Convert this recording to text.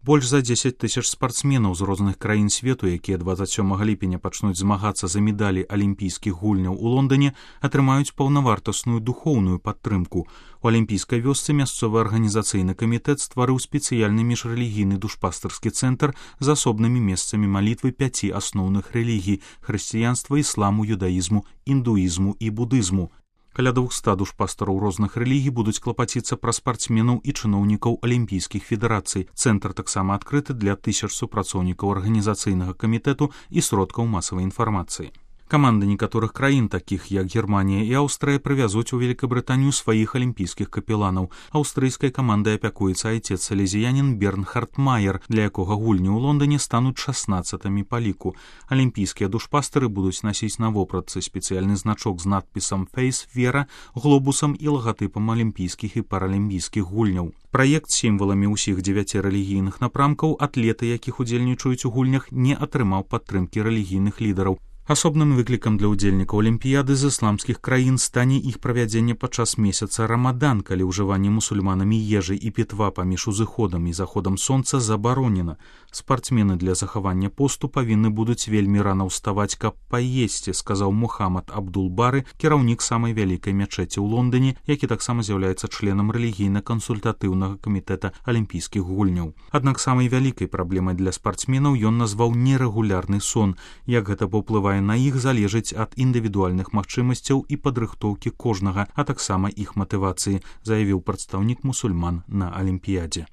Больш за 10 тысяч спартсменаў з розных краін свету, якія 27 ліпеня пачнуць змагацца за медалі алімпійскіх гульняў у Лондоне, атрымаюць паўнавартасную духоўную падтрымку. У алімпійскай вёсцы мясцовы арганізацыйны камітэт стварыў спецыяльны міжрэлігійны душпастарскі цэнтр з асобнымі месцамі малітвы 5 асноўных рэлігій – хрысціянства, ісламу, юдаізму, індуізму і будызму. Каля 200 душпастараў розных рэлігій будуць клапаціцца пра спартсменаў і чыноўнікаў алімпійскіх федэрацый. Цэнтр таксама адкрыты для 1000 супрацоўнікаў арганізацыйнага камітэту і сродкаў масавай інфармацыі. Каманды некаторых краін, такіх як Германія і Аўстрыя, прывязуць у Великабрытанію сваіх алімпійскіх капеланаў. Аўстрыйскай камандай апякуецца айцец салезіянін Бернхард Майер, для якога гульні ў Лондоне стануць 16-ми па ліку. Алімпійскія душпастары будуць насіць на вопратцы спецыяльны значок з надпісам «Фейс Вера», глобусам і лагатыпам алімпійскіх і паралімпійскіх гульняў. Праект з сімваламі ўсіх 9 рэлігійных напрамкаў, атлеты, якіх удзельнічаюць у гульнях, не атрымаў падтрымкі рэлігійных лідараў. Асобным выклікам для ўдзельнікаў алімпіяды з ісламскіх краін стане іх правядзенне падчас месяца Рамадан, калі ўжыванне мусульманамі ежы і пітва паміж узыходам і заходам сонца забаронена. Спартсмены для захавання посту павінны будуць вельмі рана ўставаць, каб паесці, сказаў Мухаммад Абдул-Бары, кіраўнік самай вялікай мячэці ў Лондоне, які таксама з'яўляецца членам рэлігійна-кансультатыўнага камітэта алімпійскіх гульняў. Аднак самай вялікай праблемай для спартсменаў ён назваў нерэгулярны сон. Як гэта паўплывае на іх, залежыць ад індывідуальных магчымасцяў і падрыхтоўкі кожнага, а таксама іх матывацыі, заявіў прадстаўнік мусульман на алімпіядзе.